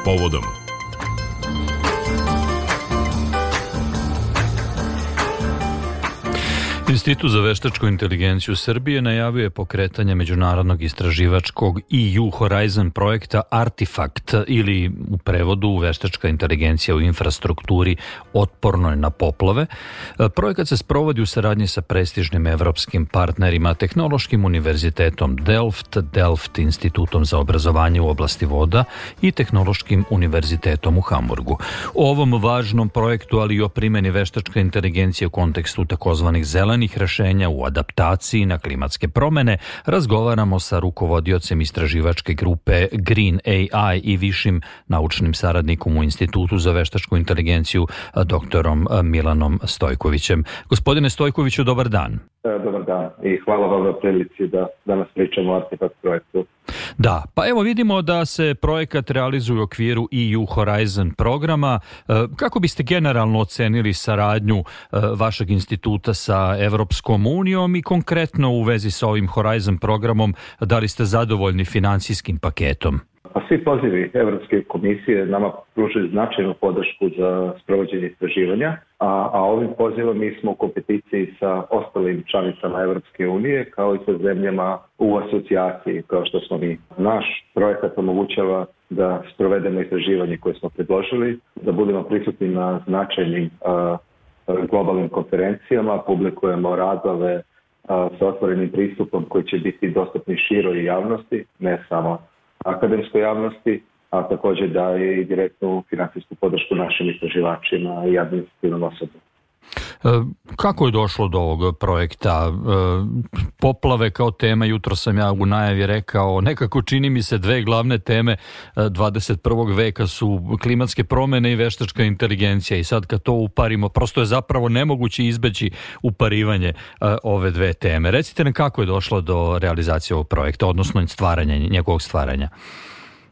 povodom. Institut za veštačku inteligenciju Srbije najavio je pokretanje međunarodnog istraživačkog EU Horizon projekta Artifact, ili u prevodu veštačka inteligencija u infrastrukturi otpornoj na poplave. Projekat se sprovodi u saradnji sa prestižnim evropskim partnerima, Tehnološkim univerzitetom Delft institutom za obrazovanje u oblasti voda i Tehnološkim univerzitetom u Hamburgu. O ovom važnom projektu, ali i o primjeni veštačke inteligencije u kontekstu takozvanih zelenih rešenja u adaptaciji na klimatske promene, razgovaramo sa rukovodiocem istraživačke grupe Green AI i višim naučnim saradnikom u Institutu za veštačku inteligenciju, doktorom Milanom Stojkovićem. Gospodine Stojkoviću, dobar dan. Dobar dan i hvala vam na prilici da danas pričamo o Artifact projektu. Da, pa evo vidimo da se projekat realizuje u okviru EU Horizon programa. Kako biste generalno ocenili saradnju vašeg instituta sa Evropskom unijom i konkretno u vezi sa ovim Horizon programom, da li ste zadovoljni finansijskim paketom? Pa svi pozivi Evropske komisije nama pružaju značajnu podršku za sprovođenje istraživanja, a ovim pozivom mi smo u kompeticiji sa ostalim članicama Evropske unije kao i sa zemljama u asocijaciji kao što smo mi. Naš projekat omogućava da sprovedemo istraživanje koje smo predložili, da budemo prisutni na značajnim globalnim konferencijama, publikujemo radove sa otvorenim pristupom koji će biti dostupni široj javnosti, ne samo akademskoj javnosti, a također daje i direktnu finansijsku podršku našim istraživačima i administrativnom osoblju. Kako je došlo do ovog projekta? Poplave kao tema, jutro sam ja u najavi rekao, nekako čini mi se dve glavne teme 21. veka su klimatske promjene i veštačka inteligencija, i sad kad to uparimo, prosto je zapravo nemoguće izbeći uparivanje ove dve teme. Recite nam kako je došlo do realizacije ovog projekta, odnosno njegovog stvaranja.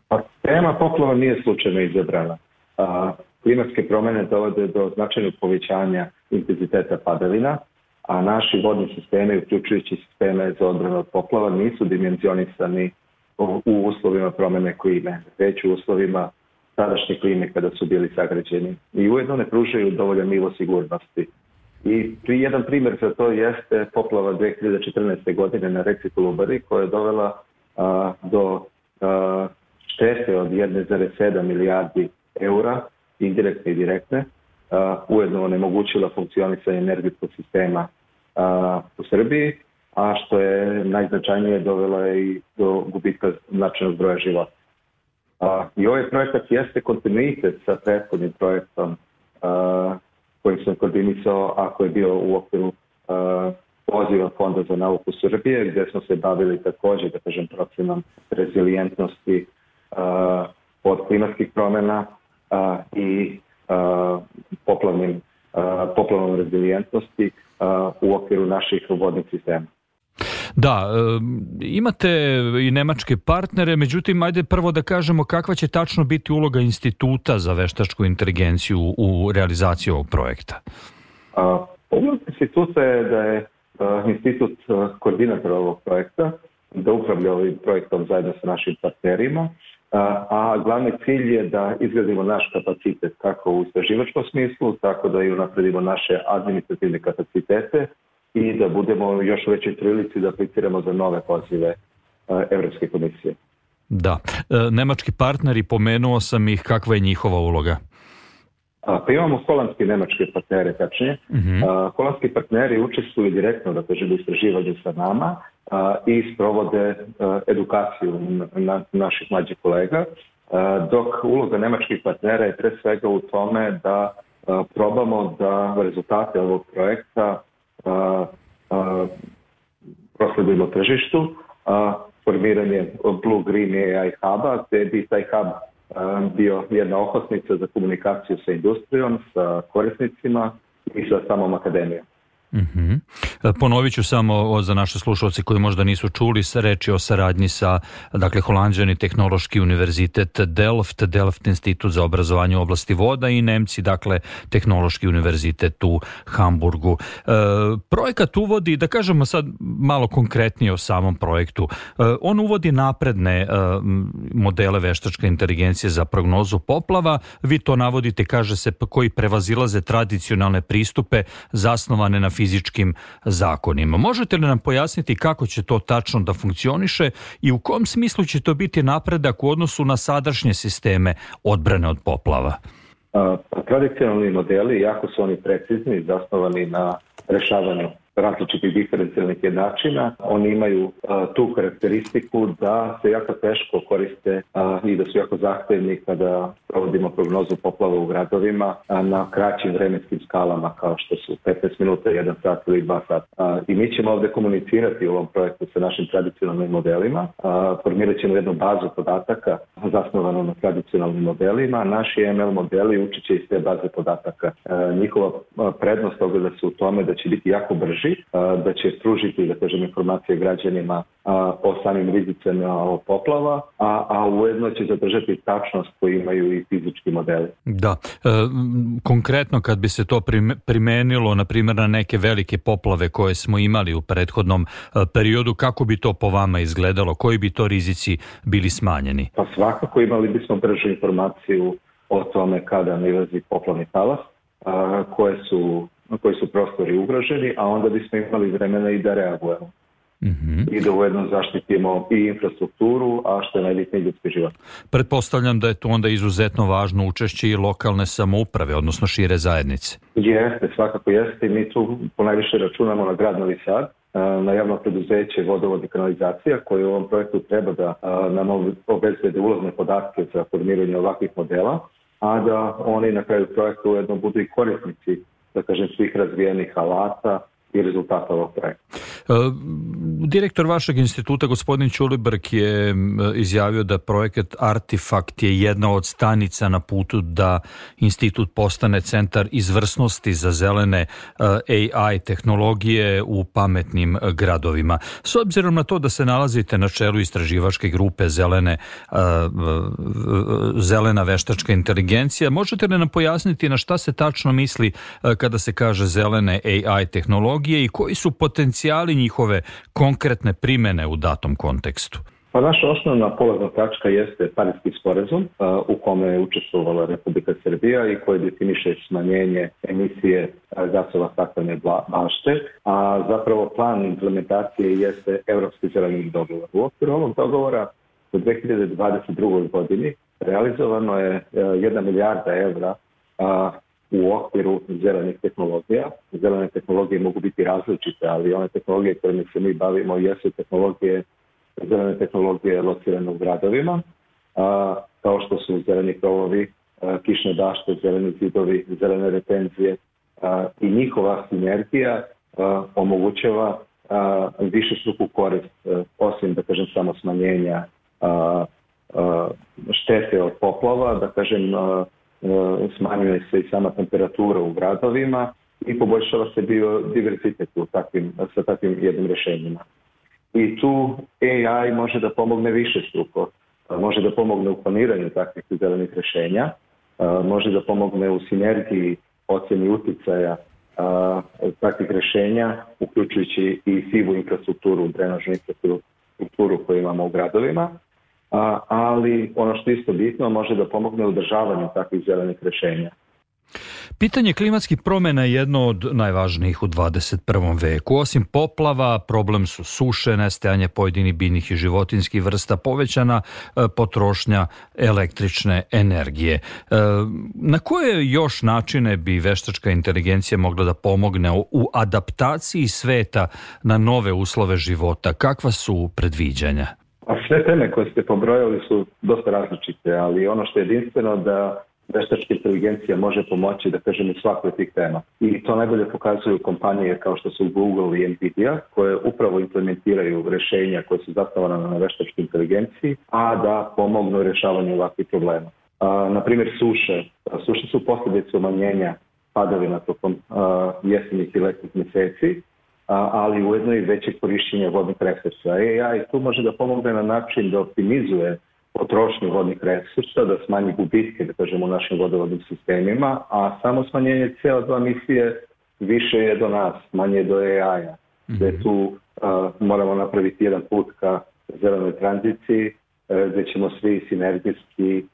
Pa, tema poplava nije slučajno izabrana. Klimatske promjene dovode do značajnog povećanja intenziteta padavina, a naši vodni sistemi, uključujući sisteme za odbranu od poplava, nisu dimenzionisani u uslovima promjene klime, već u uslovima sadašnje klime kada su bili sagrađeni. I ujedno ne pružaju dovoljan nivo sigurnosti. I jedan primjer za to jeste poplava 2014. godine na reci Kolubari, koja je dovela do štete od 1,7 milijardi eura, indirektne i direktne, ujedno onemogućila funkcionisanje energetskog sistema u Srbiji, a što je najznačajnije dovela i do gubitka značajnog broja života. I ovaj projekat jeste kontinuitet sa prethodnim projektom koji sam koordinisao, ako je bio u okviru poziva Fonda za nauku Srbije, gdje smo se bavili također, da kažem, procenom rezilijentnosti od klimatskih promjena i poplavnom rezilijentnosti u okviru naših vodnih sistema. Da, imate i nemačke partnere, međutim, ajde prvo da kažemo kakva će tačno biti uloga Instituta za veštačku inteligenciju u realizaciji ovog projekta. Uloga instituta je da je institut koordinator ovog projekta, da upravlja ovim projektom zajedno sa našim partnerima, a glavni cilj je da izgradimo naš kapacitet kako u istraživačkom smislu, tako da i unapredimo naše administrativne kapacitete i da budemo u još većoj prilici da apliciramo za nove pozive Evropske komisije. Da. Nemački partneri, pomenuo sam ih, kakva je njihova uloga? Pa imamo holandske i nemačke partnere, tačnije. Holandski partneri učestvuju direktno, da kažem, u istraživanju sa nama i sprovode edukaciju naših mlađih kolega, dok uloga nemačkih partnera je pre svega u tome da probamo da rezultate ovog projekta prosledimo tržištu, formiranje Blue Green AI Huba, gdje bi taj hub bio jedna okosnica za komunikaciju sa industrijom, sa korisnicima i sa samom akademijom. Ponovit ću samo za naše slušalce koji možda nisu čuli, reč je o saradnji sa, dakle, Holanđani Tehnološki univerzitet Delft institut za obrazovanje u oblasti voda i Nemci, dakle, Tehnološki univerzitet u Hamburgu. Projekat uvodi, da kažemo sad malo konkretnije o samom projektu, on uvodi napredne modele veštačke inteligencije za prognozu poplava. Vi to navodite, kaže se, koji prevazilaze tradicionalne pristupe zasnovane na fizičkim zakonima. Možete li nam pojasniti kako će to tačno da funkcioniše i u kom smislu će to biti napredak u odnosu na sadašnje sisteme odbrane od poplava? Tradicionalni modeli, jako su oni precizni, zasnovani na rešavanju različitih diferencijalnih jednačina. Oni imaju tu karakteristiku da se jako teško koriste i da su jako zahtevni kada provodimo prognozu poplava u gradovima na kraćim vremenskim skalama kao što su 15 minuta, 1 sat ili 2 sata. I mi ćemo ovdje komunicirati u ovom projektu sa našim tradicionalnim modelima. Formirat ćemo jednu bazu podataka zasnovanu na tradicionalnim modelima. Naši ML modeli učit će iz te baze podataka. Njihova prednost ogleda se u tome da će biti jako brži, da će pružiti, da kažem, informacije građanima o samim rizicima poplava, a ujedno će zadržati tačnost koju imaju i fizički modeli. Da. Konkretno kad bi se to primenilo, na primjer, na neke velike poplave koje smo imali u prethodnom periodu, kako bi to po vama izgledalo? Koji bi to rizici bili smanjeni? Pa svakako imali bismo bržu informaciju o tome kada nailazi poplavni talas, koji su prostori ugroženi, a onda bismo imali vremena i da reagujemo. I da ujedno zaštitimo i infrastrukturu, a što je najbitniji ljudski život. Pretpostavljam da je tu onda izuzetno važno učešće i lokalne samouprave, odnosno šire zajednice. Jeste, svakako jeste. Mi tu ponajviše računamo na grad Novi Sad, na javno preduzeće Vodovod i kanalizacija, koje u ovom projektu treba da nam obezbede ulazne podatke za formiranje ovakvih modela, a da oni na kraju projekta ujedno budu i korisnici, da kažem, svih razvijenih alata i rezultata ovog projekta. Direktor vašeg instituta, gospodin Ćulibrk, je izjavio da projekat Artifakt je jedna od stanica na putu da institut postane centar izvrsnosti za zelene AI tehnologije u pametnim gradovima. S obzirom na to da se nalazite na čelu istraživačke grupe zelena veštačka inteligencija, možete li nam pojasniti na šta se tačno misli kada se kaže zelene AI tehnologije i koji su potencijali njihove konkretne primene u datom kontekstu? Pa naša osnovna polazna tačka jeste Pariski sporazum u kome je učestvovala Republika Srbija i koji definiše smanjenje emisije gasova staklene bašte, a zapravo plan implementacije jeste Evropski zeleni dogovor. U okviru ovog dogovora u 2022. godini realizovano je 1 milijarda evra u okviru zelenih tehnologija. Zelene tehnologije mogu biti različite, ali one tehnologije kojima se mi bavimo jesu zelene tehnologije locirane u gradovima, kao što su zeleni krovovi, kišne dašte, zeleni zidovi, zelene retenzije i njihova sinergija omogućava višestruku korist, osim, da kažem, samo smanjenja štete od poplava, da kažem, smanjuje se i sama temperatura u gradovima i poboljšava se biodiverzitet sa takvim jednim rješenjima. I tu AI može da pomogne višestruko. Može da pomogne u planiranju takvih zelenih rješenja, može da pomogne u sinergiji ocjeni uticaja takvih rješenja, uključujući i sivu infrastrukturu, drenažnu infrastrukturu koju imamo u gradovima, ali ono što je isto bitno, može da pomogne u održavanju takvih zelenih rješenja. Pitanje klimatskih promjena je jedno od najvažnijih u 21. veku. Osim poplava, problem su suše, nestajanje pojedinih biljnih i životinjskih vrsta, povećana potrošnja električne energije. Na koje još načine bi veštačka inteligencija mogla da pomogne u adaptaciji sveta na nove uslove života? Kakva su predviđanja? A sve teme koje ste pobrojali su dosta različite, ali ono što je jedinstveno da veštačka inteligencija može pomoći, da kažem, u svakoj tih tema. I to najbolje pokazuju kompanije kao što su Google i Nvidia, koje upravo implementiraju rješenja koje su zasnovana na veštačkoj inteligenciji, a da pomognu rješavanju ovakvih problema. Na primjer, suše. Suše su posljedice umanjenja padavina tokom jesenjih i letnjih mjeseci, ali ujedno i veće korišćenje vodnih resursa. AI tu može da pomogne na način da optimizuje potrošnju vodnih resursa, da smanji gubitke, da kažemo, u našim vodovodnim sistemima, a samo smanjenje CO2 emisije više je do nas, manje je do AI-a. Gde tu moramo napraviti jedan put ka zelenoj tranziciji, gde ćemo svi sinergijski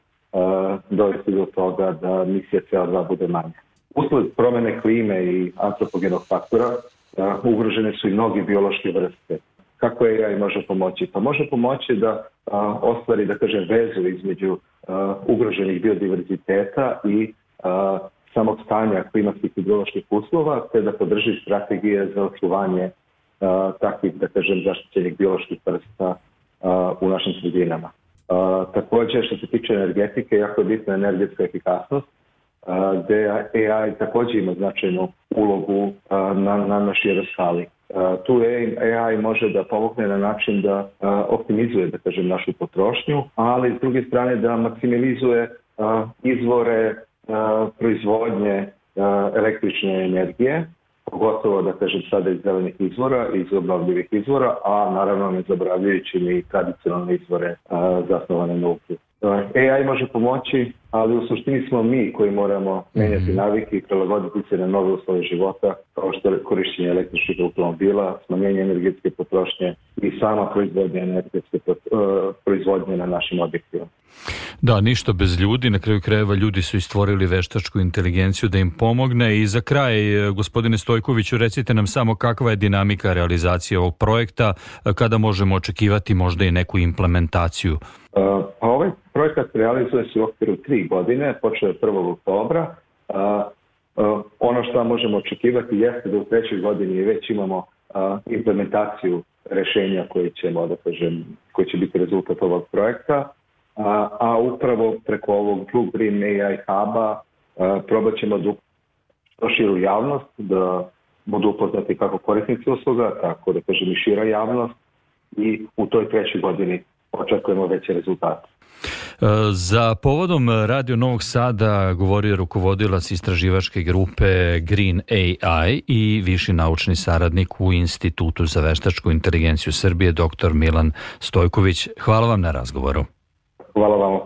dovesti do toga da emisija CO2 bude manja. Usled promene klime i antropogenog faktora ugrožene su i mnogi biološke vrste. Kako AI može pomoći? Pa može pomoći da ostvari, da kažem, vezu između ugroženih biodiverziteta i samog stanja klimatskih i bioloških uslova, te da podrži strategije za očuvanje takvih, da kažem, zaštićenih bioloških vrsta u našim sredinama. Također, što se tiče energetike, jako je bitna energetska efikasnost, gde AI također ima značajnu ulogu na našoj skali. Tu AI može da pomogne na način da optimizuje, da kažem, našu potrošnju, ali s druge strane da maksimalizuje izvore proizvodnje električne energije, pogotovo, da kažem, sada iz zelenih izvora, iz obnovljivih izvora, a naravno ne zaboravljajući ni tradicionalne izvore zasnovane na uglju. AI može pomoći, ali u suštini smo mi koji moramo menjati navike i prilagoditi se na nove uslove života, kao što je korišćenje električnih automobila, smanjenje energetske potrošnje i sama proizvodnja energetske proizvodnje na našim objektima. Da, ništa bez ljudi. Na kraju krajeva ljudi su i stvorili veštačku inteligenciju da im pomogne. I za kraj, gospodine Stojkoviću, recite nam samo kakva je dinamika realizacije ovog projekta, kada možemo očekivati možda i neku implementaciju? Pa ovaj projekat realizuje se u okviru 3 godine, počeo je 1. oktobra. Ono što možemo očekivati jeste da u 3. godini već imamo implementaciju rešenja koje će biti rezultat ovog projekta, a upravo preko ovog Blue Green AI Hub-a probat ćemo da što širu javnost, da budu upoznati kako korisnici usluga, tako da kažem i šira javnost, i u toj 3. godini očekujemo veće rezultate. Za povodom Radio Novog Sada govorio rukovodilac istraživačke grupe Green AI i viši naučni saradnik u Institutu za veštačku inteligenciju Srbije, dr. Milan Stojković. Hvala vam na razgovoru. Hvala vam.